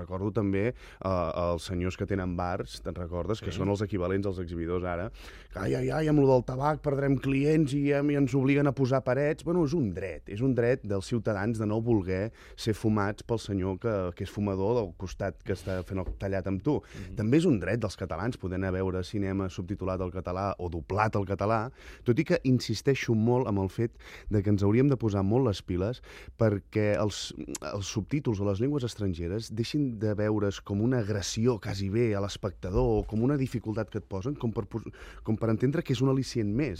recordo també els senyors que tenen bars, te'n recordes? Que són els equivalents als exhibidors ara. Ai, amb lo del tabac perdrem clients i ens obliguen a posar parets. Bueno, és un dret dels ciutadans de no voler ser fumats pel senyor que és fumador del costat que està fent el tallat amb tu. També és un dret dels catalans poder anar a veure cinema subtitulat al català o doblat al català, tot i que insisteixo molt amb el fet de que ens hauríem de posar molt les piles perquè els subtítols o les llengües estrangeres deixin de veure's com una agressió quasi bé a l'espectador o com una dificultat que et posen, com per entendre que és un al·licient més,